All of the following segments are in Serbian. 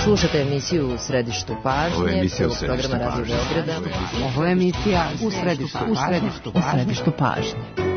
Slušate emisiju U središtu pažnje, prvog programa Radio Beograda. Ovo je emisija U središtu pažnje.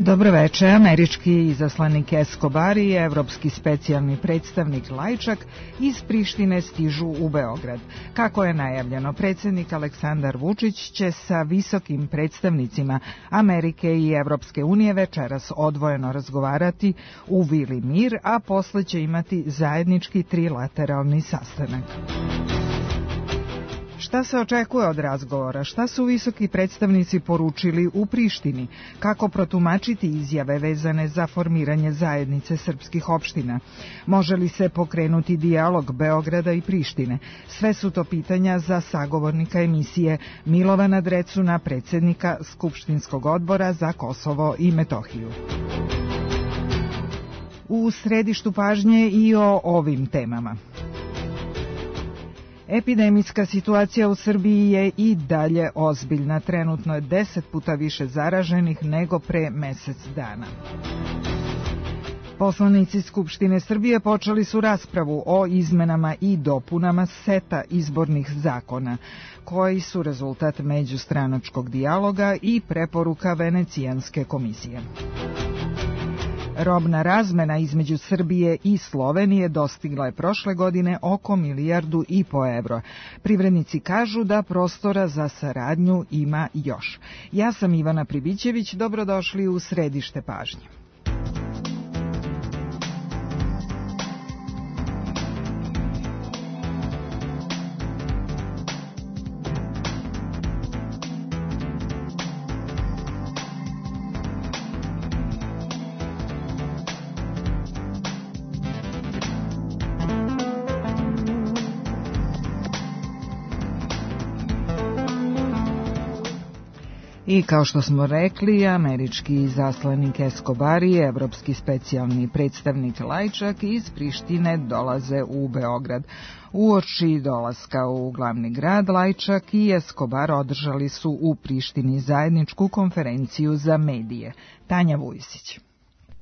Dobro večer. Američki izaslanik Escobar i evropski specijalni predstavnik Lajčak iz Prištine stižu u Beograd. Kako je najavljeno, predsjednik Aleksandar Vučić će sa visokim predstavnicima Amerike i Evropske unije večeras odvojeno razgovarati u Vili Mir, a posle će imati zajednički trilateralni sastanak. Šta se očekuje od razgovora? Šta su visoki predstavnici poručili u Prištini? Kako protumačiti izjave vezane za formiranje zajednice srpskih opština? Može li se pokrenuti dijalog Beograda i Prištine? Sve su to pitanja za sagovornika emisije Milovana Drecuna, predsjednika Skupštinskog odbora za Kosovo i Metohiju. U središtu pažnje i o ovim temama. Epidemijska situacija u Srbiji je i dalje ozbiljna. Trenutno je 10 puta više zaraženih nego pre mesec dana. Poslanici Skupštine Srbije počeli su raspravu o izmenama i dopunama seta izbornih zakona, koji su rezultat međustranačkog dijaloga i preporuka Venecijanske komisije. Robna razmena između Srbije i Slovenije dostigla je prošle godine oko 1,5 milijardu evra. Privrednici kažu da prostora za saradnju ima još. Ja sam Ivana Pribićević, dobrodošli u središte pažnje. I kao što smo rekli, američki izaslanik Escobar i evropski specijalni predstavnik Lajčak iz Prištine dolaze u Beograd. Uoči dolaska u glavni grad, Lajčak i Escobar održali su u Prištini zajedničku konferenciju za medije. Tanja Vujsić.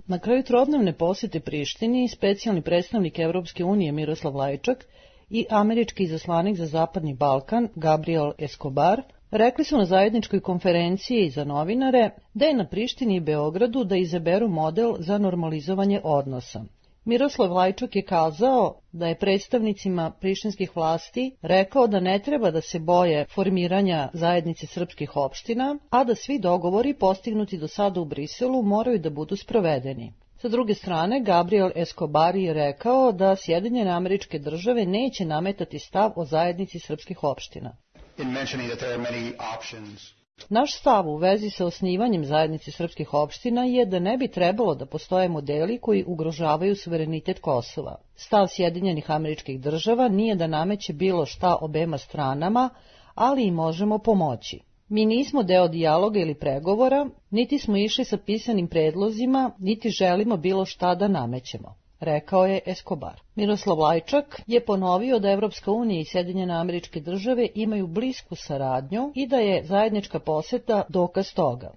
Na kraju trodnevne posjete Prištini, specijalni predstavnik Evropske unije Miroslav Lajčak i američki izaslanik za Zapadni Balkan Gabriel Escobar rekli su na zajedničkoj konferenciji za novinare da je na Prištini i Beogradu da izaberu model za normalizovanje odnosa. Miroslav Lajčak je kazao da je predstavnicima prištinskih vlasti rekao da ne treba da se boje formiranja zajednice srpskih opština, a da svi dogovori postignuti do sada u Briselu moraju da budu sprovedeni. Sa druge strane, Gabriel Escobar je rekao da Sjedinjene Američke Države neće nametati stav o zajednici srpskih opština. Naš stav u vezi sa osnivanjem zajednice srpskih opština je da ne bi trebalo da postoje modeli koji ugrožavaju suverenitet Kosova. Stav Sjedinjenih Američkih Država nije da nameće bilo šta obema stranama, ali i možemo pomoći. Mi nismo deo dijaloga ili pregovora, niti smo išli sa pisanim predlozima, niti želimo bilo šta da namećemo, rekao je Escobar. Miroslav Lajčak je ponovio da Evropska unija i Sjedinjene Američke Države imaju blisku saradnju i da je zajednička poseta dokaz toga.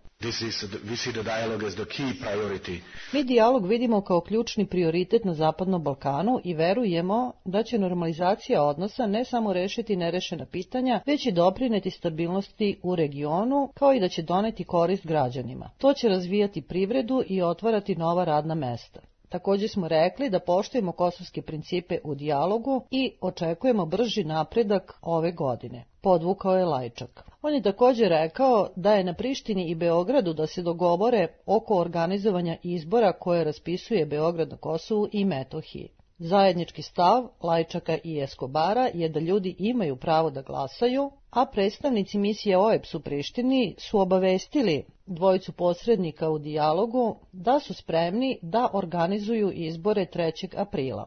Mi dijalog vidimo kao ključni prioritet na Zapadnom Balkanu i verujemo da će normalizacija odnosa ne samo rešiti nerešena pitanja, već i doprineti stabilnosti u regionu, kao i da će doneti korist građanima. To će razvijati privredu i otvarati nova radna mesta. Također smo rekli da poštujemo kosovske principe u dijalogu i očekujemo brži napredak ove godine, podvukao je Lajčak. On je također rekao da je na Prištini i Beogradu da se dogovore oko organizovanja izbora koje raspisuje Beograd na Kosovu i Metohiji. Zajednički stav Lajčaka i Eskobara je da ljudi imaju pravo da glasaju, a predstavnici misije OEBS u Prištini su obavestili dvojicu posrednika u dijalogu da su spremni da organizuju izbore 3. aprila.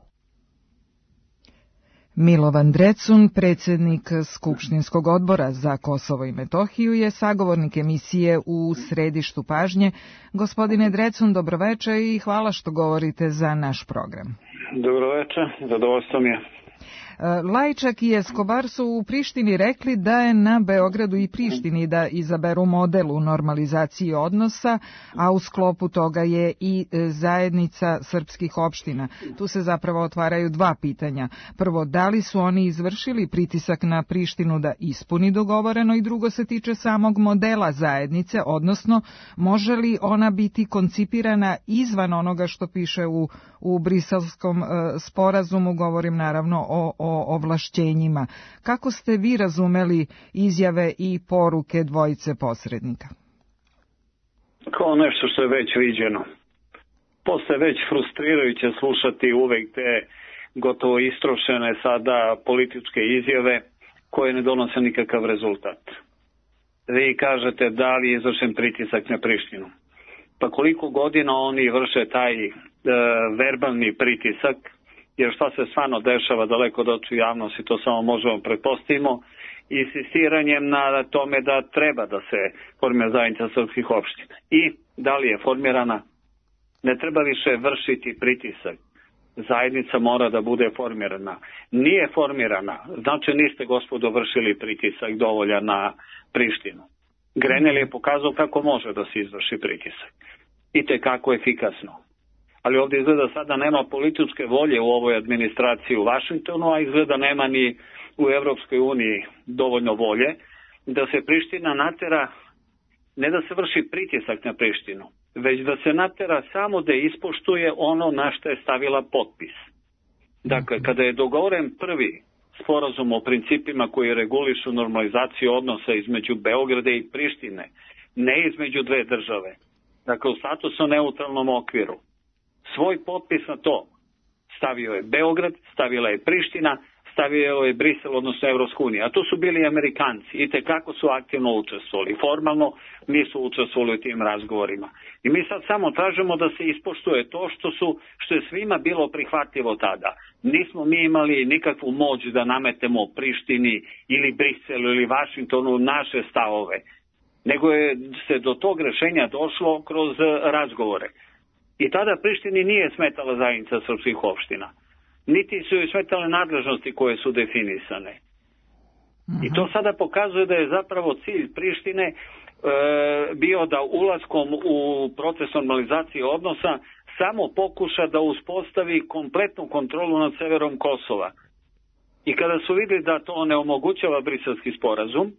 Milovan Drecun, predsjednik Skupštinskog odbora za Kosovo i Metohiju, je sagovornik emisije U središtu pažnje. Gospodine Drecun, dobroveče i hvala što govorite za naš program. Dobroveče, zadovoljstvo mi je. Lajčak i Eskobar su u Prištini rekli da je na Beogradu i Prištini da izaberu model u normalizaciji odnosa, a u sklopu toga je i zajednica srpskih opština. Tu se zapravo otvaraju dva pitanja. Prvo, da li su oni izvršili pritisak na Prištinu da ispuni dogovoreno, i drugo se tiče samog modela zajednice, odnosno može li ona biti koncipirana izvan onoga što piše u Briselskom sporazumu, govorim naravno o ovlašćenjima. Kako ste vi razumeli izjave i poruke dvojice posrednika? Kao nešto što je već viđeno. Postaje već frustrirajuće slušati uvek te gotovo istrošene sada političke izjave koje ne donose nikakav rezultat. Vi kažete da li je izvršen pritisak na Prištinu. Pa koliko godina oni vrše taj verbalni pritisak, jer šta se stvarno dešava daleko od očiju javnosti, to samo možemo pretpostavimo, insistiranjem na tome da treba da se formira zajednica srpskih opština. I da li je formirana? Ne treba više vršiti pritisak. Zajednica mora da bude formirana. Nije formirana, znači niste, gospodo, vršili pritisak dovoljan na Prištinu. Grenell je pokazao kako može da se izvrši pritisak. I tekako efikasno. Ali ovdje izgleda sada nema političke volje u ovoj administraciji u Vašingtonu, a izgleda nema ni u Evropskoj uniji dovoljno volje da se Priština natera, ne da se vrši pritisak na Prištinu, već da se natera samo da ispoštuje ono na što je stavila potpis. Dakle, kada je dogovoren prvi sporazum o principima koji regulišu normalizaciju odnosa između Beograda i Prištine, ne između dve države, dakle u statusu neutralnom okviru, svoj potpis na to stavio je Beograd, stavila je Priština, stavio je Brisel, odnosno Evropska unija. A to su bili Amerikanci i tekako su aktivno učestvovali. Formalno nisu učestvovali u tim razgovorima. I mi sad samo tražimo da se ispoštuje to što je svima bilo prihvatljivo tada. Nismo mi imali nikakvu moć da nametemo Prištini ili Briselu ili Vašingtonu naše stavove, nego je se do tog rešenja došlo kroz razgovore. I tada Prištini nije smetala zajednica srpskih opština. Niti su joj smetale nadležnosti koje su definisane. I to sada pokazuje da je zapravo cilj Prištine bio da ulaskom u proces normalizacije odnosa samo pokuša da uspostavi kompletnu kontrolu nad severom Kosova. I kada su vidjeli da to ne omogućava Briselski sporazum,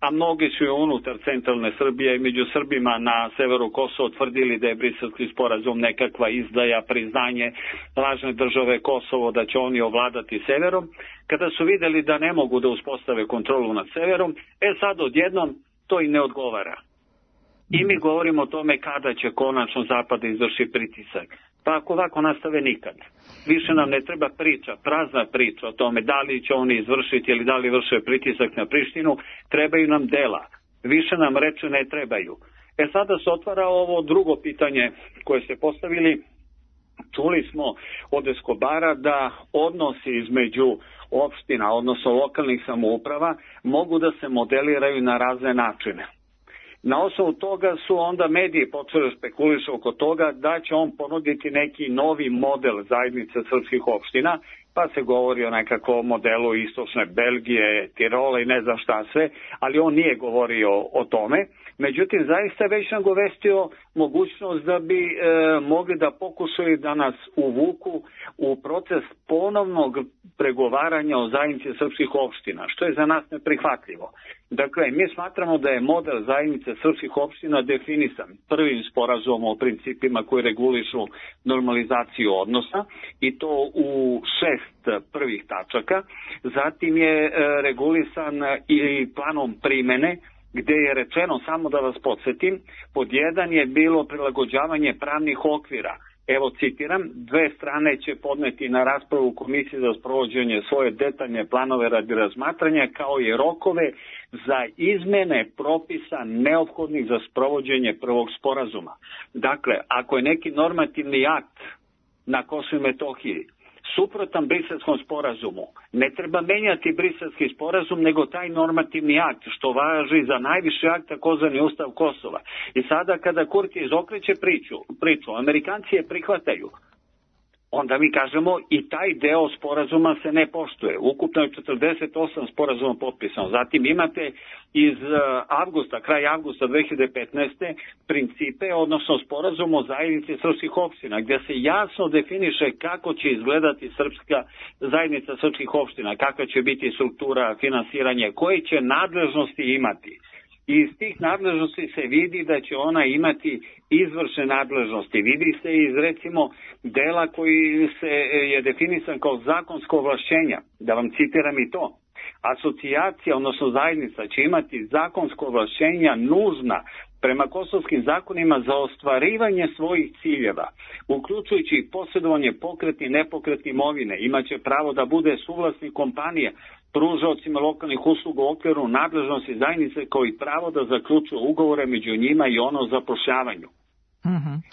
a mnogi su unutar centralne Srbije i među Srbima na severu Kosova tvrdili da je Briselski sporazum nekakva izdaja, priznanje lažne države Kosovo, da će oni ovladati severom. Kada su vidjeli da ne mogu da uspostave kontrolu nad severom, sad odjednom to i ne odgovara. I mi govorimo o tome kada će konačno Zapad izvrši pritisak. Pa ako ovako nastave nikad. Više nam ne treba priča, prazna priča o tome da li će oni izvršiti ili da li vrše pritisak na Prištinu, trebaju nam dela. Više nam reči ne trebaju. Sada se otvara ovo drugo pitanje koje ste postavili. Čuli smo od Eskobara da odnosi između opština, odnosno lokalnih samouprava, mogu da se modeliraju na razne načine. Na osnovu toga su onda mediji počeli spekulišu oko toga da će on ponuditi neki novi model zajednice srpskih opština, pa se govori o nekakvom modelu istočne Belgije, Tirola i ne znam šta sve, ali on nije govorio o tome. Međutim, zaista već nagovestio mogućnost da bi mogli da pokušaju da nas uvuku u proces ponovnog pregovaranja o zajednici srpskih opština, što je za nas neprihvatljivo. Dakle, mi smatramo da je model zajednice srpskih opština definisan prvim sporazumom o principima koji regulišu normalizaciju odnosa i to u 6 prvih tačaka. Zatim je regulisan i planom primene, gdje je rečeno, samo da vas podsjetim, pod 1 je bilo prilagođavanje pravnih okvira Evo citiram, 2 strane će podneti na raspravu Komisije za sprovođenje svoje detaljne planove radi razmatranja, kao i rokove za izmene propisa neophodnih za sprovođenje prvog sporazuma. Dakle, ako je neki normativni akt na Kosovu i Metohiji suprotan Briselskom sporazumu, ne treba menjati Briselski sporazum, nego taj normativni akt, što važi za najviši akt, takozvani Ustav Kosova. I sada kada Kurti izokreće priču, Amerikanci je prihvataju, onda mi kažemo i taj deo sporazuma se ne poštuje. Ukupno je 48 sporazuma potpisano. Zatim imate iz kraj avgusta 2015. principe, odnosno sporazum o zajednici srpskih opština, gdje se jasno definiše kako će izgledati srpska zajednica srpskih opština, kakva će biti struktura, finansiranje, koje će nadležnosti imati. I iz tih nadležnosti se vidi da će ona imati izvršne nadležnosti. Vidi se iz recimo dela koji je definisan kao zakonsko ovlašćenja. Da vam citiram i to. Asocijacija, odnosno zajednica, će imati zakonsko ovlašćenja nužna prema kosovskim zakonima za ostvarivanje svojih ciljeva, uključujući i posjedovanje pokretne i nepokretne imovine. Imaće pravo da bude suvlasnik kompanije, pružaocima lokalnih usluga u okviru nadležnosti zajednice, kao i pravo da zaključuju ugovore među njima i ono o zapošljavanju.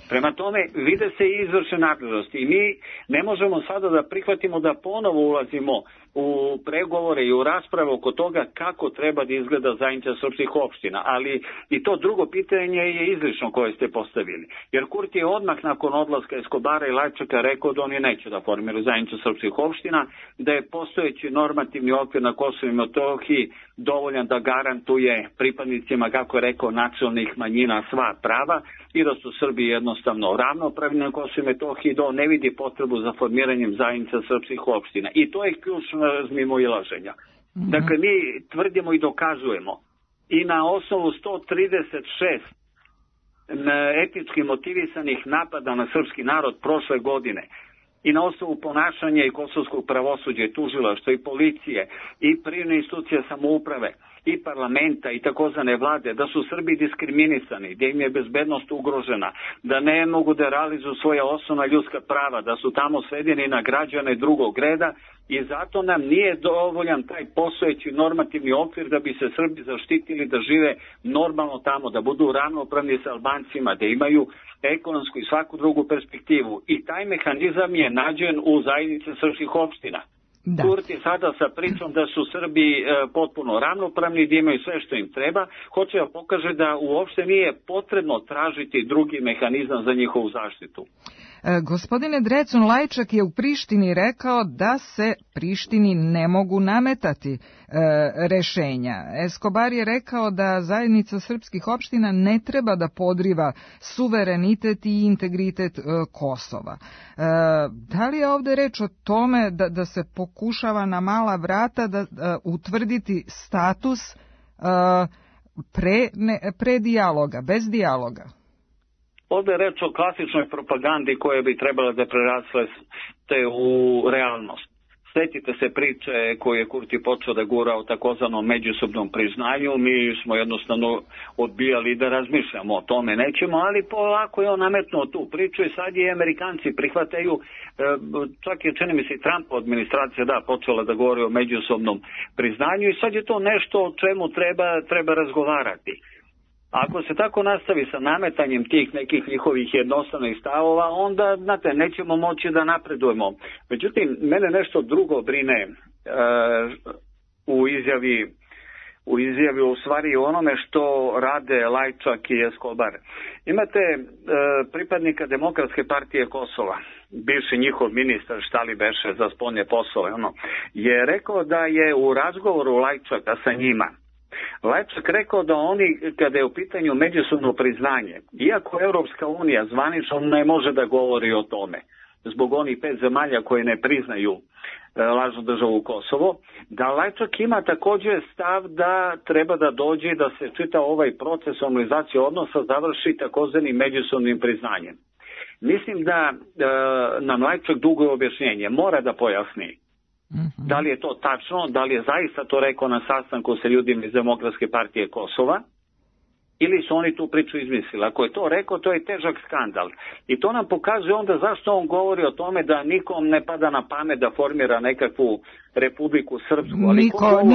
Prema tome, vide se i izvršne nadležnosti i mi ne možemo sada da prihvatimo da ponovo ulazimo u pregovore i u rasprave oko toga kako treba da izgleda zajednica srpskih opština, ali i to drugo pitanje je izlično koje ste postavili. Jer Kurti je odmah nakon odlaska Eskobara i Lajčaka rekao da oni neće da formiraju zajednicu srpskih opština, da je postojeći normativni okvir na Kosovu i Metohiji dovoljan da garantuje pripadnicima, kako je rekao, nacionalnih manjina sva prava i da su Srbi jednostavno ravnopravni na Kosovu i Metohiji, da on ne vidi potrebu za formiranjem zajednica srpskih opština. I to je ključno razmimoilaženja. Dakle, mi tvrdimo i dokazujemo i na osnovu 136 etički motivisanih napada na srpski narod prošle godine i na osnovu ponašanja i kosovskog pravosuđa i tužilaštva i policije i privredne institucije samouprave i parlamenta i takozvane vlade, da su Srbi diskriminisani, da im je bezbednost ugrožena, da ne mogu da realizuju svoja osnovna ljudska prava, da su tamo svedeni na građane drugog reda i zato nam nije dovoljan taj postojeći normativni okvir da bi se Srbi zaštitili da žive normalno tamo, da budu ravnopravni sa Albancima, da imaju ekonomsku i svaku drugu perspektivu. I taj mehanizam je nađen u zajednici srpskih opština. Da. Kurti sada sa pričom da su Srbi potpuno ravnopravni, da imaju sve što im treba, hoće da pokaže da uopšte nije potrebno tražiti drugi mehanizam za njihovu zaštitu. Gospodine Drecun, Lajčak je u Prištini rekao da se Prištini ne mogu nametati rešenja. Eskobar je rekao da zajednica srpskih opština ne treba da podriva suverenitet i integritet Kosova. Da li je ovde reč o tome da se pokušava na mala vrata da utvrditi status pre dijaloga, bez dijaloga? Ovdje je reč o klasičnoj propagandi koja bi trebala da prerasle u realnost. Sjetite se priče koju je Kurti počeo da gura o takozvanom međusobnom priznanju. Mi smo jednostavno odbijali da razmišljamo o tome, nećemo, ali polako je on nametnuo tu priču i sad je Amerikanci prihvataju, čak je, čini mi se, Trumpova administracija počela da govori o međusobnom priznanju i sad je to nešto o čemu treba razgovarati. Ako se tako nastavi sa nametanjem tih nekih njihovih jednostavnih stavova, onda, znate, nećemo moći da napredujemo. Međutim, mene nešto drugo brine u izjavi u stvari onome što rade Lajčak i Eskobar. Imate pripadnika Demokratske partije Kosova, bivši njihov ministar, šta li beše za spoljne poslove, je rekao da je u razgovoru Lajčaka sa njima Lajčak rekao da oni, kada je u pitanju međusobno priznanje, iako Europska unija zvanično ne može da govori o tome, zbog onih 5 zemalja koje ne priznaju lažnu državu Kosovo, da Lajčak ima također stav da treba da dođe da se čita ovaj proces normalizacije odnosa završi takozvanim međusobnim priznanjem. Mislim da nam Lajčak dugo objašnjenje mora da pojasni. Da li je to tačno, da li je zaista to rekao na sastanku sa ljudima iz Demokratske partije Kosova ili su oni tu priču izmislili. Ako je to rekao, to je težak skandal. I to nam pokazuje onda zašto on govori o tome da nikom ne pada na pamet da formira nekakvu Republiku Srpsku. Ali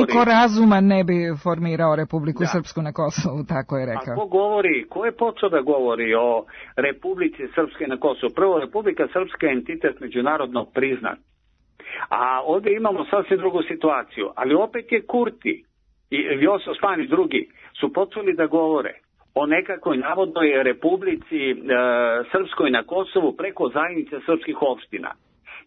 niko razuman ne bi formirao Republiku Srpsku na Kosovu, tako je rekao. A ko je počeo da govori o Republici Srpske na Kosovu? Prvo, Republika Srpska je entitet međunarodno priznat. A ovdje imamo sasvim drugu situaciju. Ali opet je Kurti i Vjosa Osmani i drugi su počeli da govore o nekakvoj navodnoj Republici Srpskoj na Kosovu preko zajednice srpskih opština.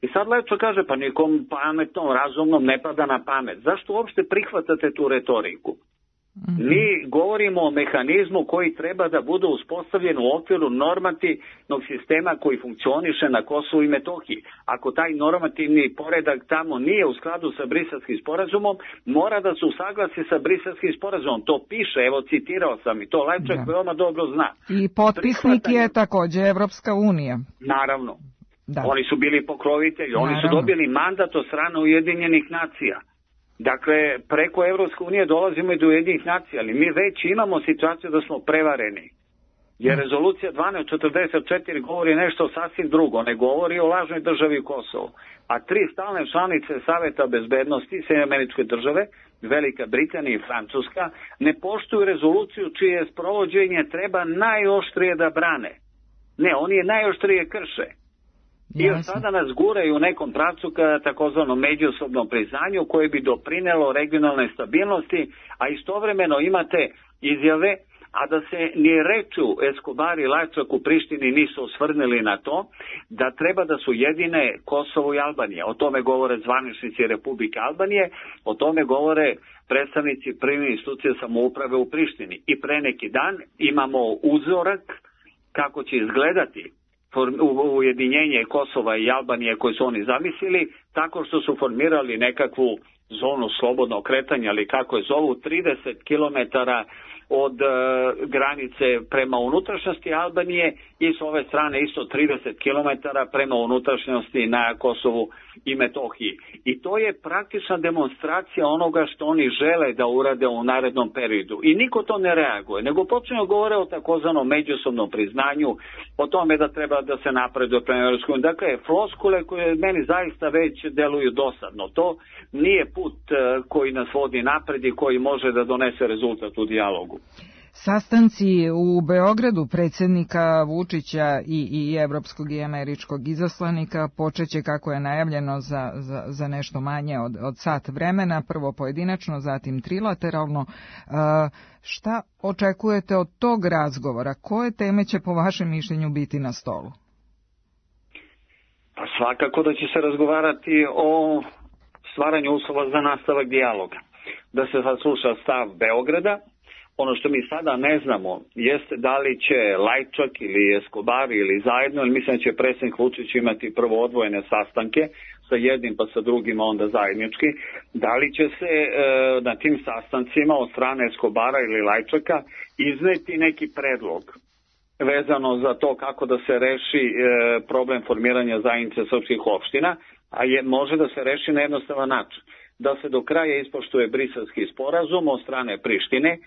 I sad Lečo kaže, pa nikom pametnom, razumnom ne pada na pamet. Zašto uopšte prihvatate tu retoriku? Mi govorimo o mehanizmu koji treba da bude uspostavljen u okviru normativnog sistema koji funkcioniše na Kosovu i Metohiji. Ako taj normativni poredak tamo nije u skladu sa Briselskim sporazumom, mora da se usaglasi sa Briselskim sporazumom. To piše, evo citirao sam i to Lajčak veoma dobro zna. I potpisnik je također Evropska unija. Naravno. Da. Oni su bili pokrovitelji, oni su dobili mandat od strane Ujedinjenih nacija. Dakle, preko Evropske unije dolazimo i do Ujedinjenih nacija, ali mi već imamo situaciju da smo prevareni. Jer rezolucija 1244 govori nešto sasvim drugo, ne govori o lažnoj državi Kosovo. A 3 stalne članice Saveta bezbednosti, Sjedinjene Američke Države, Velika Britanija i Francuska, ne poštuju rezoluciju čije sprovođenje treba najoštrije da brane. Ne, oni je najoštrije krše. I od sada nas guraju u nekom pravcu ka takozvanom međusobnom priznanju koje bi doprinelo regionalne stabilnosti, a istovremeno imate izjave, a da se ni reču Escobar i Lajčak u Prištini nisu osvrnili na to, da treba da su jedine Kosovo i Albanija. O tome govore zvaničnici Republike Albanije, o tome govore predstavnici prvih institucija samouprave u Prištini. I pre neki dan imamo uzorak kako će izgledati ujedinjenje Kosova i Albanije koje su oni zamislili, tako što su formirali nekakvu zonu slobodnog kretanja, ali kako je zovu, 30 km od granice prema unutrašnjosti Albanije i s ove strane isto 30 km prema unutrašnjosti na Kosovu i Metohiji. I to je praktična demonstracija onoga što oni žele da urade u narednom periodu. I niko to ne reaguje, nego počinju govore o takozvanom međusobnom priznanju, o tome da treba da se napreduje prema Evropskoj uniji. Dakle, floskule koje meni zaista već deluju dosadno. To nije put koji nas vodi napred i koji može da donese rezultat u dijalogu. Sastanci u Beogradu predsjednika Vučića i evropskog i američkog izaslanika počeće, kako je najavljeno, za nešto manje od sat vremena, prvo pojedinačno, zatim trilateralno. Šta očekujete od tog razgovora? Koje teme će po vašem mišljenju biti na stolu? Pa svakako da će se razgovarati o stvaranju uslova za nastavak dijaloga. Da se sasluša stav Beograda. Ono što mi sada ne znamo jeste da li će Lajčak ili Escobar ili zajedno, ili mislim da će predsjednik Vučić imati prvo odvojene sastanke sa jednim pa sa drugim, onda zajednički. Da li će se na tim sastancima od strane Escobara ili Lajčaka izneti neki predlog vezano za to kako da se reši problem formiranja zajednice srpskih opština, a može da se reši na jednostavan način. Da se do kraja ispoštuje Briselski sporazum od strane Prištine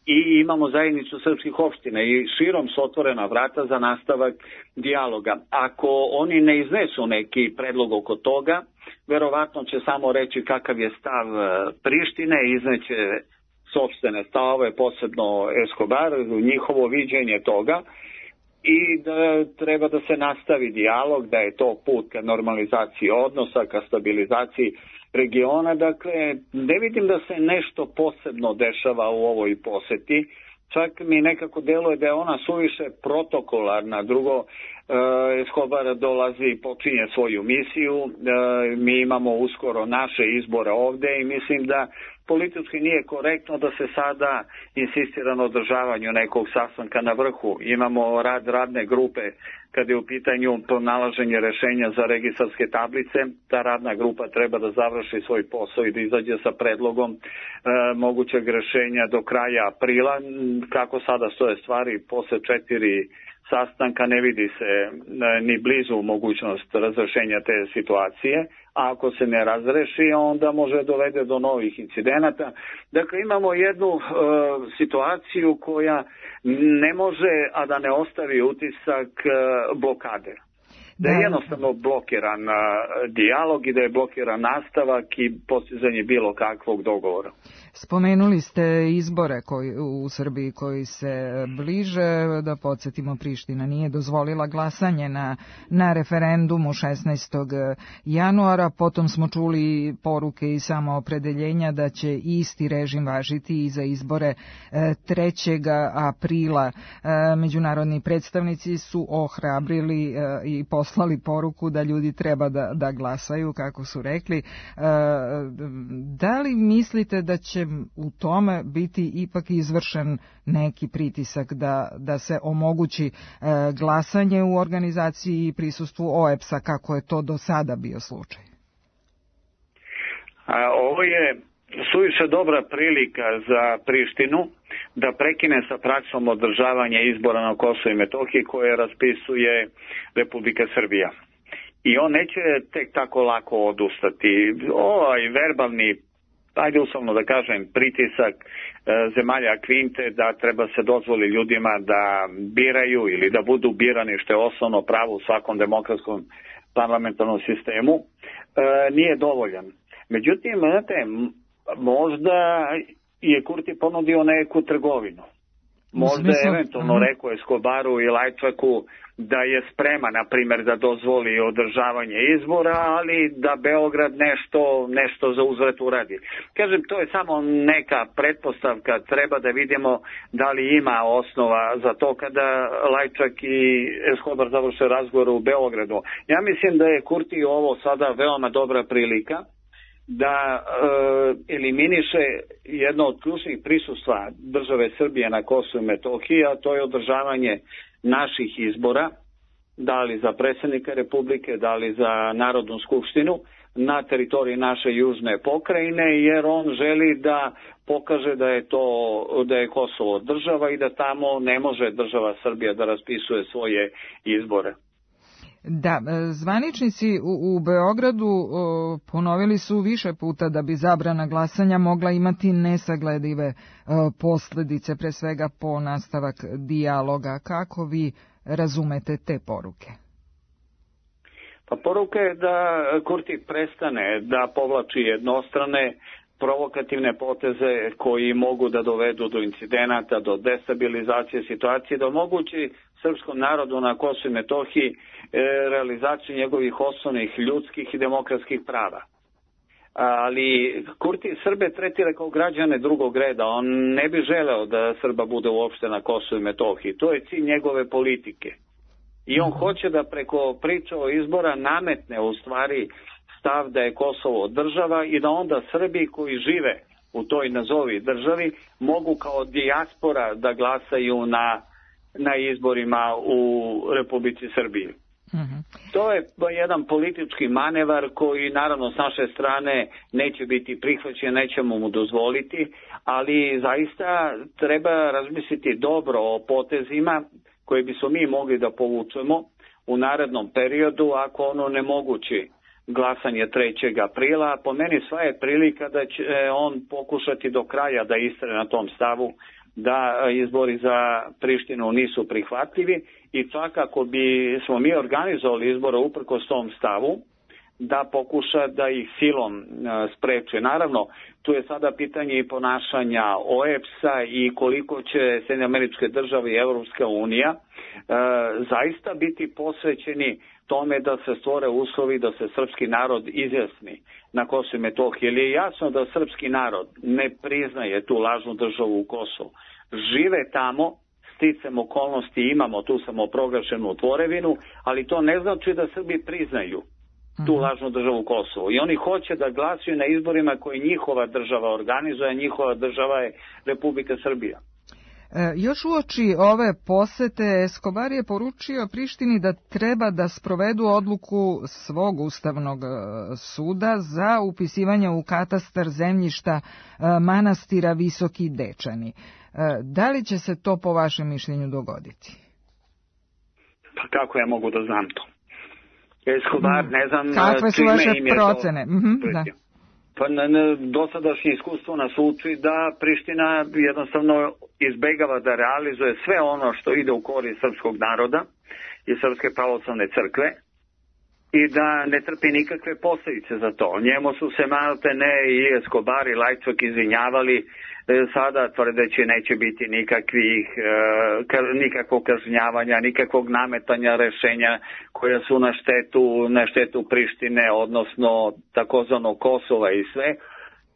i imamo zajednicu srpskih opština i širom su otvorena vrata za nastavak dijaloga. Ako oni ne iznesu neki predlog oko toga, verovatno će samo reći kakav je stav Prištine, izneće sopstvene stavove, posebno Escobar, njihovo viđenje toga, i da treba da se nastavi dijalog, da je to put ka normalizaciji odnosa, ka stabilizaciji regiona. Dakle, ne vidim da se nešto posebno dešava u ovoj poseti. Čak mi nekako deluje da je ona suviše protokolarna. Drugo, Escobar dolazi i počinje svoju misiju. Mi imamo uskoro naše izbore ovde i mislim da politički nije korektno da se sada insistira na održavanju nekog sastanka na vrhu. Imamo rad radne grupe kad je u pitanju pronalaženje rešenja za registarske tablice. Ta radna grupa treba da završi svoj posao i da izađe sa predlogom mogućeg rešenja do kraja aprila. Kako sada stoje stvari, posle 4 sastanka ne vidi se ni blizu mogućnost razrešenja te situacije, a ako se ne razreši, onda može dovede do novih incidenata. Dakle, imamo jednu situaciju koja ne može, a da ne ostavi utisak blokade. Da je jednostavno blokiran dijalog i da je blokiran nastavak i postizanje bilo kakvog dogovora. Spomenuli ste izbore u Srbiji koji se bliže, da podsjetimo, Priština nije dozvolila glasanje na referendumu 16. januara, potom smo čuli poruke i samoopredeljenja da će isti režim važiti i za izbore 3. aprila. Međunarodni predstavnici su ohrabrili i poslali poruku da ljudi treba da glasaju, kako su rekli. Da li mislite da će u tome biti ipak izvršen neki pritisak da se omogući glasanje u organizaciji i prisustvu OEBS-a, kako je to do sada bio slučaj? Ovo je suviše dobra prilika za Prištinu da prekine sa praksom održavanja izbora na Kosovu i Metohiji koje raspisuje Republika Srbija. I on neće tek tako lako odustati. Ovaj verbalni, ajde uslovno da kažem, pritisak zemalja Kvinte da treba se dozvoli ljudima da biraju ili da budu birani, što je osnovno pravo u svakom demokratskom parlamentarnom sistemu, nije dovoljan. Međutim, znate, možda je Kurti ponudio neku trgovinu. Možda je eventualno rekao Escobaru i Lajčaku da je spreman, na primjer, da dozvoli održavanje izbora, ali da Beograd nešto za uzvrat uradi. Kažem, to je samo neka pretpostavka, treba da vidimo da li ima osnova za to kada Lajčak i Escobar završe razgovor u Beogradu. Ja mislim da je Kurti ovo sada veoma dobra prilika da eliminiše jedno od ključnih prisustva države Srbije na Kosovu i Metohiji, a to je održavanje naših izbora, da li za predsjednika Republike, da li za Narodnu skupštinu, na teritoriji naše južne pokrajine, jer on želi da pokaže da je Kosovo država i da tamo ne može država Srbija da raspisuje svoje izbore. Da, zvaničnici u Beogradu ponovili su više puta da bi zabrana glasanja mogla imati nesagledive posljedice, pre svega po nastavak dijaloga. Kako vi razumete te poruke? Pa poruka je da Kurti prestane da povlači jednostrane provokativne poteze koji mogu da dovedu do incidenata, do destabilizacije situacije, da omogući srpskom narodu na Kosovu i Metohiji realizaciju njegovih osnovnih ljudskih i demokratskih prava. Ali Kurti Srbe tretira kao građane drugog reda. On ne bi želeo da Srba bude uopšte na Kosovu i Metohiji. To je cilj njegove politike. I on hoće da preko priča o izbora nametne u stvari stav da je Kosovo država i da onda Srbi koji žive u toj nazovi državi mogu kao dijaspora da glasaju na izborima u Republici Srbiji. To je jedan politički manevar koji naravno s naše strane neće biti prihvaćen, nećemo mu dozvoliti, ali zaista treba razmisliti dobro o potezima koje bismo mi mogli da povučemo u narednom periodu ako ono ne mogući glasanje 3. aprila. Po meni sva je prilika da će on pokušati do kraja da istraje na tom stavu da izbori za Prištinu nisu prihvatljivi i čak ako bi smo mi organizovali izbore uprkos tom stavu, da pokuša da ih silom spreče. Naravno, tu je sada pitanje i ponašanja OEBS-a i koliko će Sjedinjene Američke Države i Evropska unija zaista biti posvećeni tome da se stvore uslovi da se srpski narod izjasni na Kosovu i Metohiji. Jer je jasno da srpski narod ne priznaje tu lažnu državu u Kosovu. Žive tamo, sticam okolnosti imamo tu samoproglašenu tvorevinu, ali to ne znači da Srbi priznaju tu lažnu državu Kosovo. I oni hoće da glasuju na izborima koje njihova država organizuje, a njihova država je Republika Srbija. Još uoči ove posete Escobar je poručio Prištini da treba da sprovedu odluku svog ustavnog suda za upisivanje u katastar zemljišta manastira Visoki Dečani. Da li će se to po vašem mišljenju dogoditi? Pa kako ja mogu da znam to? Escobar, ne znam kakve su vaše procene? Da. Pa dosadašnje iskustvo nas uči da Priština jednostavno izbegava da realizuje sve ono što ide u korist srpskog naroda i Srpske pravoslavne crkve i da ne trpi nikakve posljedice za to. Njemu su se maltene i Escobar i Lajčak izvinjavali, sada tvrdeći neće biti nikakvog kažnjavanja, nikakvog nametanja rešenja koja su na štetu Prištine, odnosno takozvanog Kosova i sve.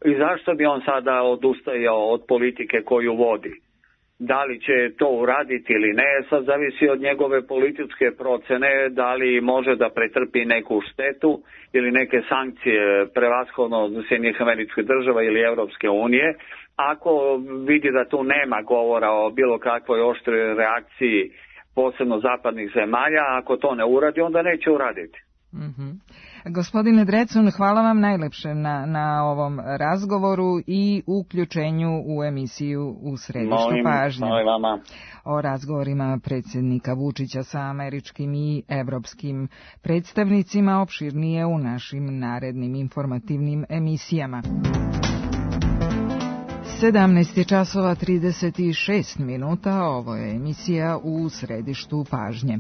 I zašto bi on sada odustajao od politike koju vodi? Da li će to uraditi ili ne, sad zavisi od njegove političke procene, da li može da pretrpi neku štetu ili neke sankcije prevashodno od Sjedinjenih Američkih Država ili Evropske unije. Ako vidi da tu nema govora o bilo kakvoj oštroj reakciji, posebno zapadnih zemalja, ako to ne uradi, onda neće uraditi. Gospodine Drecun, hvala vam najlepše na ovom razgovoru i uključenju u emisiju U središtu pažnje. Molim vama. O razgovorima predsjednika Vučića sa američkim i evropskim predstavnicima opširnije u našim narednim informativnim emisijama. 17:36, ovo je emisija U središtu pažnje.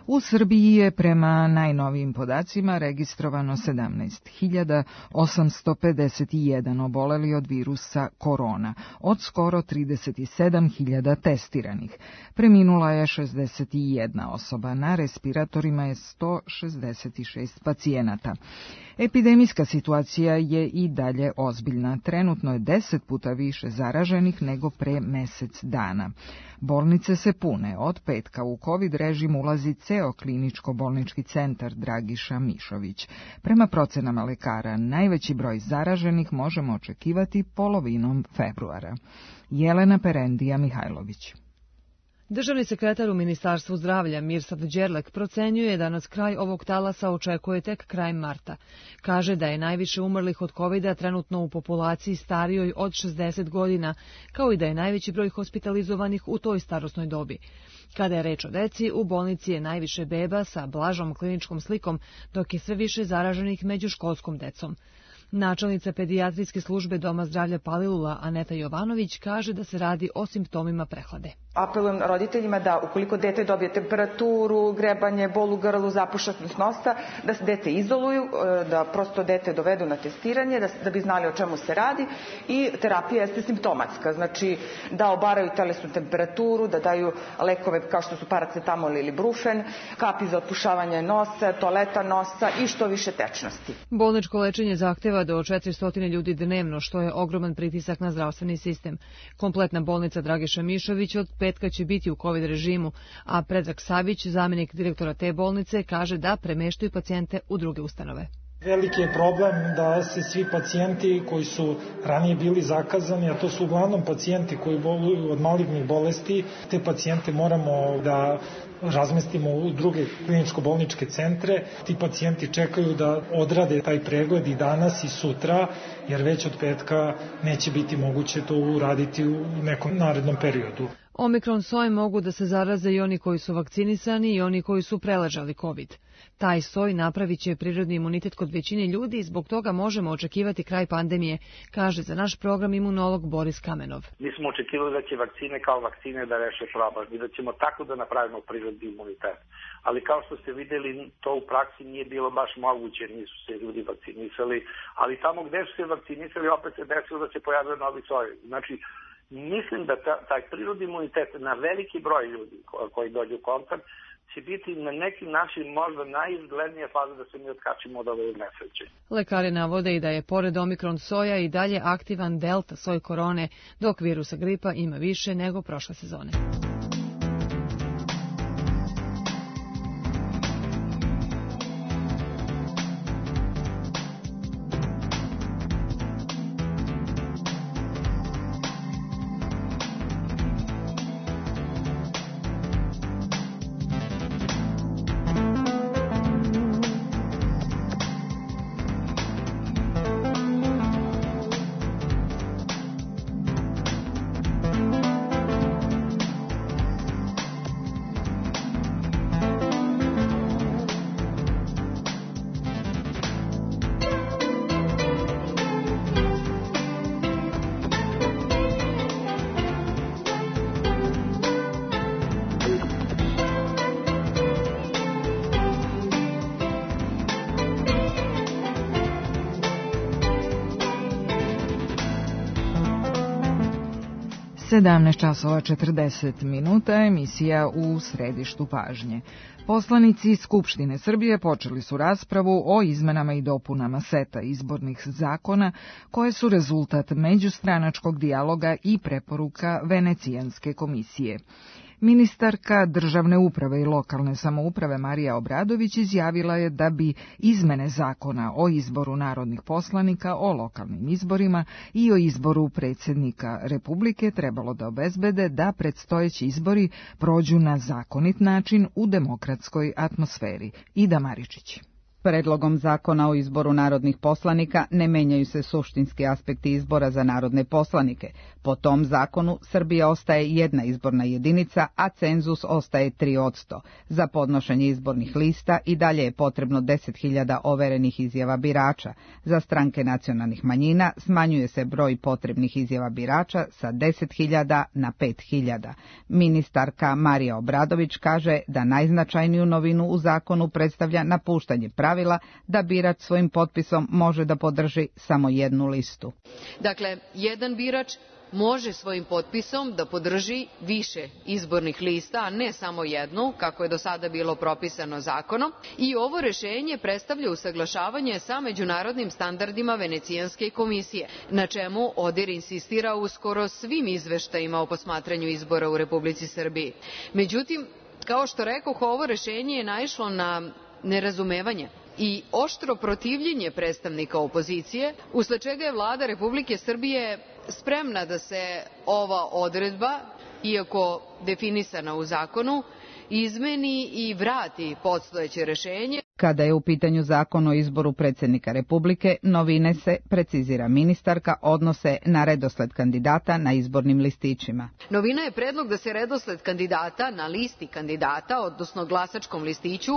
U Srbiji je prema najnovijim podacima registrovano 17.851 oboleli od virusa korona, od skoro 37.000 testiranih. Preminula je 61 osoba, na respiratorima je 166 pacijenata. Epidemijska situacija je i dalje ozbiljna. Trenutno je 10 puta više zaraženih nego pre mesec dana. Bolnice se pune. Od petka u COVID režim ulazi ceo kliničko-bolnički centar Dragiša Mišović. Prema procenama lekara, najveći broj zaraženih možemo očekivati polovinom februara. Jelena Perendija Mihajlović. Državni sekretar u Ministarstvu zdravlja Mirsad Đerlek procenjuje da nas kraj ovog talasa očekuje tek krajem marta. Kaže da je najviše umrlih od COVID-a trenutno u populaciji starijoj od 60 godina, kao i da je najveći broj hospitalizovanih u toj starosnoj dobi. Kada je reč o deci, u bolnici je najviše beba sa blažom kliničkom slikom, dok je sve više zaraženih među školskom decom. Načelnica pedijatrijske službe Doma zdravlja Palilula Aneta Jovanović kaže da se radi o simptomima prehlade. Apelujem roditeljima da ukoliko dete dobije temperaturu, grebanje, bol u grlu, zapušenost nosa, da se dete izoluju, da prosto dete dovedu na testiranje, da bi znali o čemu se radi, i terapija jeste simptomatska, znači da obaraju telesnu temperaturu, da daju lekove kao što su paracetamol ili brufen, kapi za otpušavanje nosa, toaleta nosa i što više tečnosti. Bolničko lečenje zahteva do 400 ljudi dnevno, što je ogroman pritisak na zdravstveni sistem. Kompletna bolnica Dragiša Mišović od petka će biti u COVID režimu, a Predrag Savić, zamjenik direktora te bolnice, kaže da premeštaju pacijente u druge ustanove. Veliki je problem da se svi pacijenti koji su ranije bili zakazani, a to su uglavnom pacijenti koji boluju od malignih bolesti, te pacijente moramo da razmestimo u druge kliničko-bolničke centre. Ti pacijenti čekaju da odrade taj pregled i danas i sutra, jer već od petka neće biti moguće to uraditi u nekom narednom periodu. Omikron soj mogu da se zaraze i oni koji su vakcinisani i oni koji su preležali COVID. Taj soj napravit će prirodni imunitet kod većine ljudi i zbog toga možemo očekivati kraj pandemije, kaže za naš program imunolog Boris Kamenov. Mi smo očekivali da će vakcine kao vakcine da reše problem i da ćemo tako da napravimo prirodni imunitet. Ali kao što ste videli, to u praksi nije bilo baš moguće, nisu se ljudi vakcinisali, ali tamo gde su se vakcinisali opet se desilo da se pojavio novi soj. Znači, mislim da taj prirodni imunitet na veliki broj ljudi koji dođu u kontakt će biti na neki način možda najizglednija faza da se mi otkačimo od ove nesreće. Lekari navode i da je pored omikron soja i dalje aktivan delta soj korone, dok virusa gripa ima više nego prošle sezone. 17:40, emisija u središtu pažnje. Poslanici Skupštine Srbije počeli su raspravu o izmenama i dopunama seta izbornih zakona koje su rezultat međustranačkog dijaloga i preporuka Venecijanske komisije. Ministarka državne uprave i lokalne samouprave Marija Obradović izjavila je da bi izmene zakona o izboru narodnih poslanika, o lokalnim izborima i o izboru predsjednika Republike trebalo da obezbede da predstojeći izbori prođu na zakonit način u demokratskoj atmosferi. Ida Maričić. Predlogom zakona o izboru narodnih poslanika ne menjaju se suštinski aspekti izbora za narodne poslanike. Po tom zakonu Srbija ostaje jedna izborna jedinica, a cenzus ostaje 3%. Za podnošenje izbornih lista i dalje je potrebno 10.000 overenih izjava birača. Za stranke nacionalnih manjina smanjuje se broj potrebnih izjava birača sa 10.000 na 5.000. Ministarka Marija Obradović kaže da najznačajniju novinu u zakonu predstavlja napuštanje pravila da birač svojim potpisom može da podrži samo jednu listu. Dakle, jedan birač može svojim potpisom da podrži više izbornih lista, a ne samo jednu, kako je do sada bilo propisano zakonom. I ovo rešenje predstavlja usaglašavanje sa međunarodnim standardima Venecijanske komisije, na čemu ODIR insistira u skoro svim izveštajima o posmatranju izbora u Republici Srbiji. Međutim, kao što rekoh, ovo rešenje je naišlo na nerazumevanje i oštro protivljenje predstavnika opozicije, usled čega je Vlada Republike Srbije spremna da se ova odredba, iako definisana u zakonu, izmeni i vrati postojeće rešenje. Kada je u pitanju zakon o izboru predsjednika Republike, novine se, precizira ministarka, odnose na redosled kandidata na izbornim listićima. Novina je predlog da se redosled kandidata na listi kandidata, odnosno glasačkom listiću,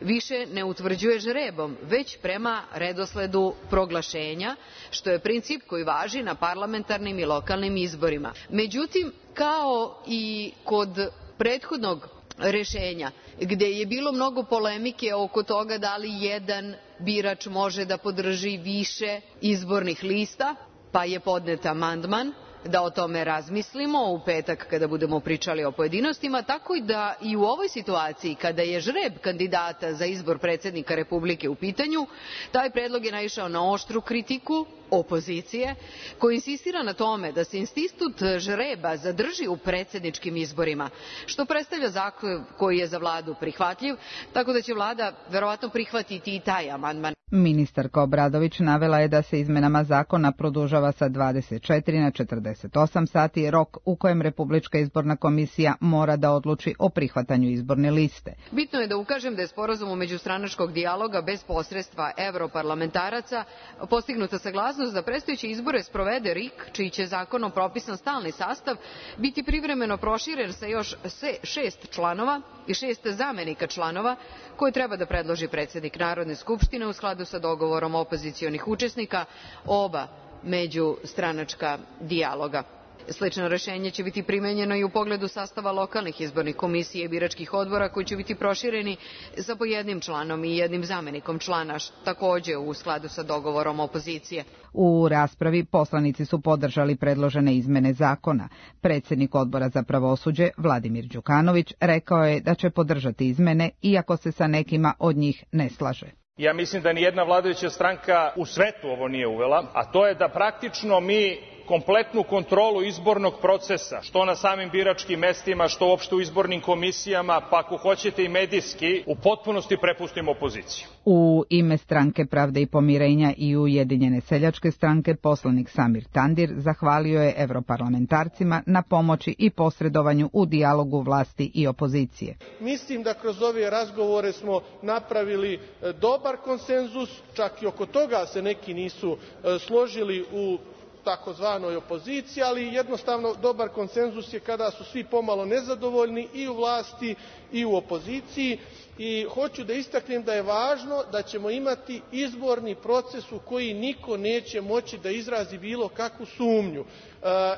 više ne utvrđuje žrebom, već prema redosledu proglašenja, što je princip koji važi na parlamentarnim i lokalnim izborima. Međutim, kao i kod prethodnog rešenja, gde je bilo mnogo polemike oko toga da li jedan birač može da podrži više izbornih lista, pa je podnet amandman da o tome razmislimo u petak kada budemo pričali o pojedinostima, tako i da i u ovoj situaciji kada je žreb kandidata za izbor predsjednika Republike u pitanju, taj predlog je naišao na oštru kritiku opozicije, koja insistira na tome da se institut žreba zadrži u predsjedničkim izborima, što predstavlja zahtev koji je za vladu prihvatljiv, tako da će vlada verovatno prihvatiti i taj amandman. Ministarka Obradović navela je da se izmenama zakona produžava sa 24 na 48 sati rok u kojem Republička izborna komisija mora da odluči o prihvatanju izborne liste. Bitno je da ukažem da je sporazumom međustranačkog dijaloga bez posredstva evroparlamentaraca postignuta saglasnost da predstojeće izbore sprovede RIK, čiji će zakonom propisan stalni sastav biti privremeno proširen sa još 6 članova i 6 zamenika članova koje treba da predloži predsjednik Narodne skupštine u skladu sa dogovorom opozicionih učesnika oba međustranačka dijaloga. Slično rešenje će biti primenjeno i u pogledu sastava lokalnih izbornih komisija i biračkih odbora koji će biti prošireni sa po jednim članom i jednim zamenikom člana, takođe u skladu sa dogovorom opozicije. U raspravi poslanici su podržali predložene izmene zakona. Predsjednik Odbora za pravosuđe Vladimir Đukanović rekao je da će podržati izmene iako se sa nekima od njih ne slaže. Ja mislim da nijedna vladajuća stranka u svetu ovo nije uvela, a to je da praktično mi kompletnu kontrolu izbornog procesa, što na samim biračkim mestima, što uopšte u izbornim komisijama, pa ako hoćete i medijski, u potpunosti prepustimo opoziciju. U ime Stranke Pravde i pomirenja i Ujedinjene seljačke stranke poslanik Samir Tandir zahvalio je evroparlamentarcima na pomoći i posredovanju u dijalogu vlasti i opozicije. Mislim da kroz ove razgovore smo napravili dobar konsenzus, čak i oko toga se neki nisu složili u takozvanoj opoziciji, ali jednostavno dobar konsenzus je kada su svi pomalo nezadovoljni i u vlasti i u opoziciji. I hoću da istaknem da je važno da ćemo imati izborni proces u koji niko neće moći da izrazi bilo kakvu sumnju.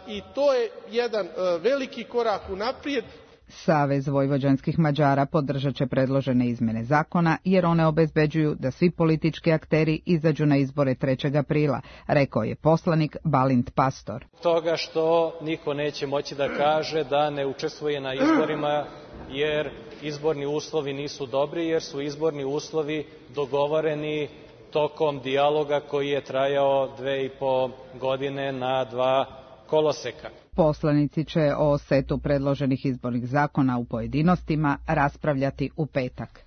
I to je jedan veliki korak unaprijed. Savez vojvođanskih Mađara podržat će predložene izmene zakona jer one obezbeđuju da svi politički akteri izađu na izbore 3. aprila, rekao je poslanik Balint Pastor. Toga što niko neće moći da kaže da ne učestvuje na izborima jer izborni uslovi nisu dobri, jer su izborni uslovi dogovoreni tokom dijaloga koji je trajao 2,5 godine na 2 koloseka. Poslanici će o setu predloženih izbornih zakona u pojedinostima raspravljati u petak.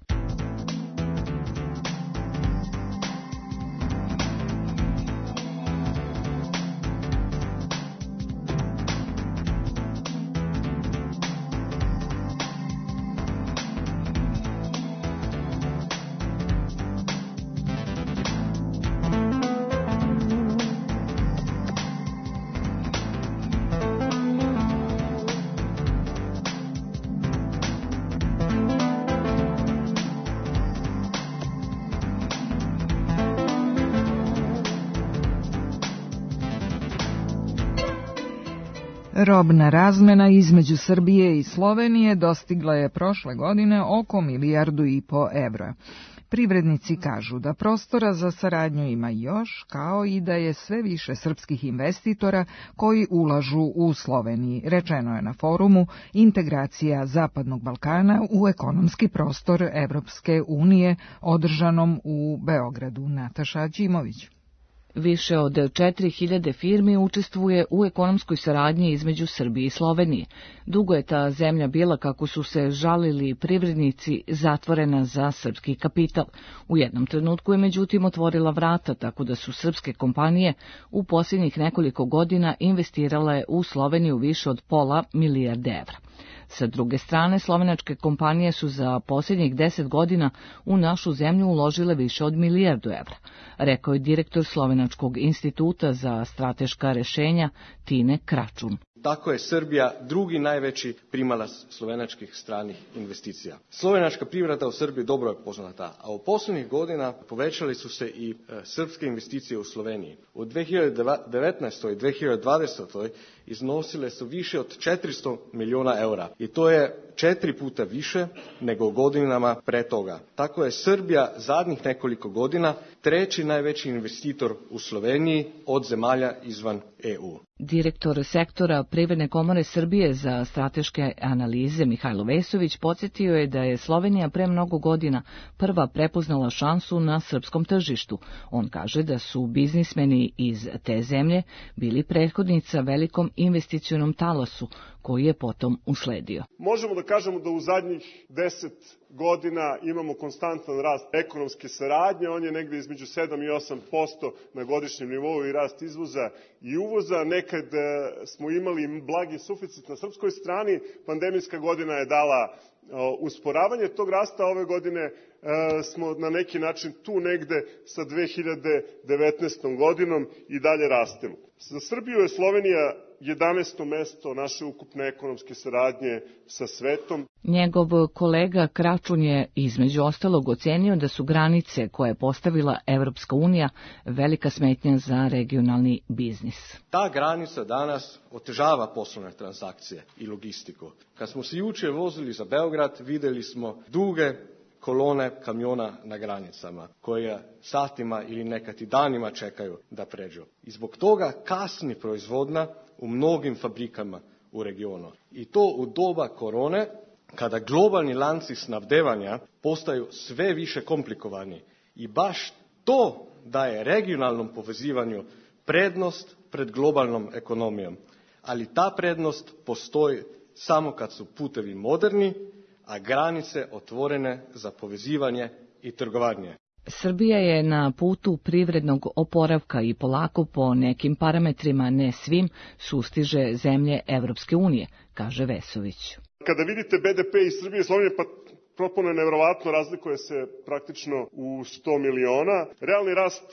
Robna razmena između Srbije i Slovenije dostigla je prošle godine oko 1,5 milijardu evra. Privrednici kažu da prostora za saradnju ima još, kao i da je sve više srpskih investitora koji ulažu u Sloveniji. Rečeno je na forumu Integracija Zapadnog Balkana u ekonomski prostor Evropske unije, održanom u Beogradu. Nataša Đimović. Više od 4.000 firmi učestvuje u ekonomskoj saradnji između Srbije i Slovenije. Dugo je ta zemlja bila, kako su se žalili privrednici, zatvorena za srpski kapital. U jednom trenutku je međutim otvorila vrata, tako da su srpske kompanije u posljednjih nekoliko godina investirale u Sloveniju više od £500 milijardi. Sa druge strane, slovenačke kompanije su za posljednjih 10 godina u našu zemlju uložile više od €1 milijardu, rekao je direktor Slovenačkog instituta za strateška rešenja Tine Kračun. Tako je Srbija drugi najveći primalac slovenačkih stranih investicija. Slovenačka privreda u Srbiji dobro je poznata, a u posljednjih godina povećali su se i srpske investicije u Sloveniji. U 2019. i 2020. iznosile su više od €400 miliona i to je 4 puta više nego u godinama pre toga. Tako je Srbija zadnjih nekoliko godina treći najveći investitor u Sloveniji od zemalja izvan EU. Direktor sektora Privredne komore Srbije za strateške analize Mihajlo Vesović podsjetio je da je Slovenija pre mnogo godina prva prepoznala šansu na srpskom tržištu. On kaže da su biznismeni iz te zemlje bili prethodnica velikom investicionom talasu koji je potom usledio. Možemo da kažemo da u zadnjih 10 godina imamo konstantan rast ekonomske saradnje, on je negde između 7 i 8% na godišnjem nivou i rast izvoza i uvoza. Nekad smo imali blagi suficit na srpskoj strani, pandemijska godina je dala usporavanje tog rasta, ove godine smo na neki način tu negde sa 2019. godinom i dalje rastemo. Za Srbiju je Slovenija 11. mesto naše ukupne ekonomske saradnje sa svetom. Njegov kolega Kračun je između ostalog ocenio da su granice koje je postavila Evropska unija velika smetnja za regionalni biznis. Ta granica danas otežava poslovne transakcije i logistiku. Kad smo se jučer vozili za Beograd, videli smo duge kolone kamiona na granicama, koje satima ili nekad i danima čekaju da pređu. I zbog toga kasni proizvodnja u mnogim fabrikama u regionu. I to u doba korone, kada globalni lanci snabdevanja postaju sve više komplikovani. I baš to daje regionalnom povezivanju prednost pred globalnom ekonomijom. Ali ta prednost postoji samo kad su putevi moderni, a granice otvorene za povezivanje i trgovanje. Srbija je na putu privrednog oporavka i polako po nekim parametrima, ne svim, sustiže zemlje Evropske unije, kaže Vesović. Kada vidite BDP iz Srbije i Slovenije, pa propone nevjerovatno, razlikuje se praktično u 100 miliona. Realni rast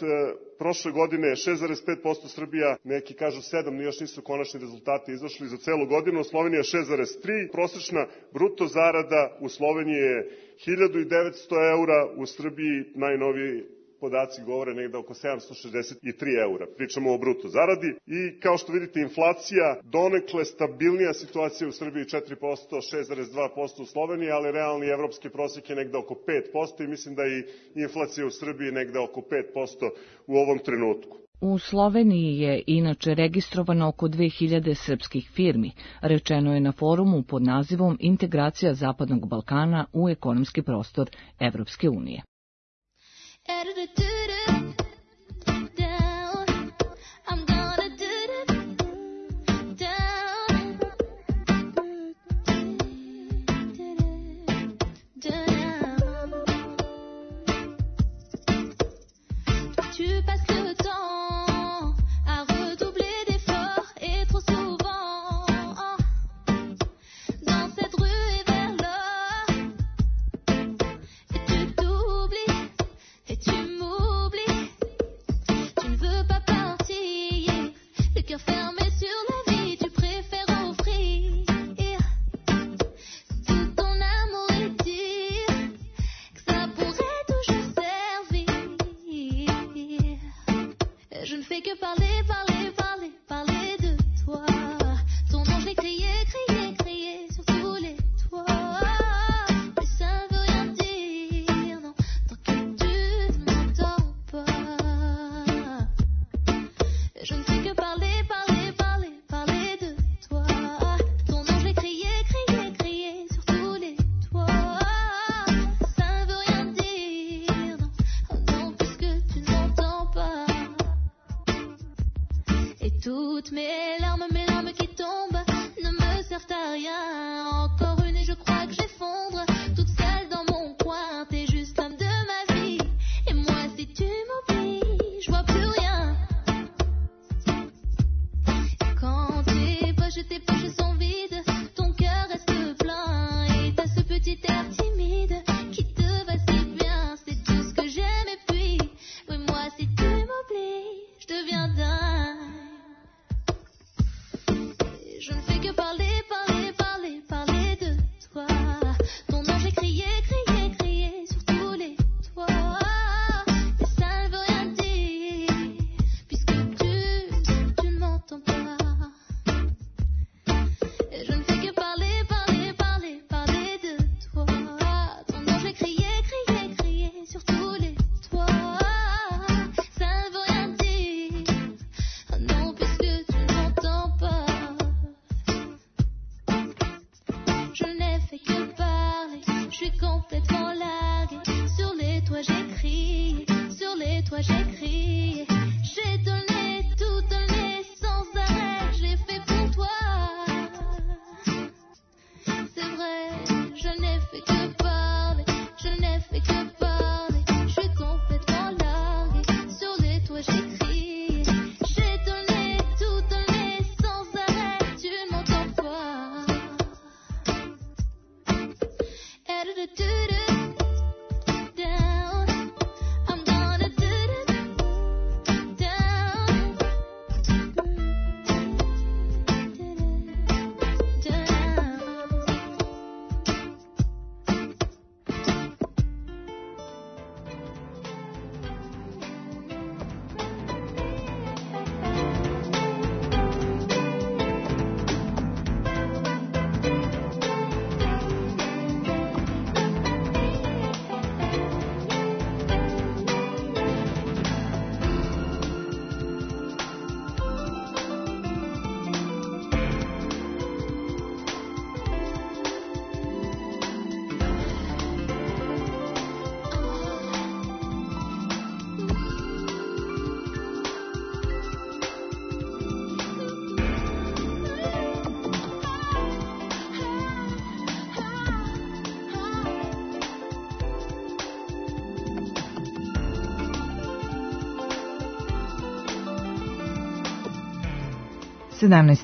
prošle godine je 6,5%, Srbija, neki kažu 7, još nisu konačni rezultati izašli za celu godinu, Slovenija 6,3%, prosječna bruto zarada u Sloveniji je 1.900 €, u Srbiji najnoviji podaci govore negde oko 763 eura. Pričamo o bruto zaradi i kao što vidite inflacija donekle stabilnija situacija u Srbiji 4%, 6,2% u Sloveniji, ali realni evropski prosjek je negde oko 5% i mislim da i inflacija u Srbiji negde oko 5% u ovom trenutku. U Sloveniji je inače registrovano oko 2000 srpskih firmi, rečeno je na forumu pod nazivom Integracija Zapadnog Balkana u ekonomski prostor Evropske unije.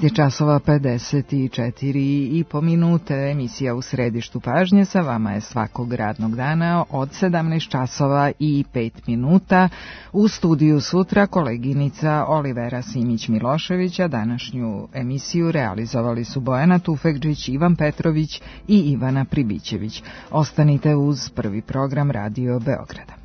časova 54,5 minute. Emisija U središtu pažnje sa vama je svakog radnog dana od 17 časova i 5 minuta. U studiju sutra koleginica Olivera Simić-Miloševića. Današnju emisiju realizovali su Bojana Tufekđić, Ivan Petrović i Ivana Pribićević. Ostanite uz prvi program Radio Beograda.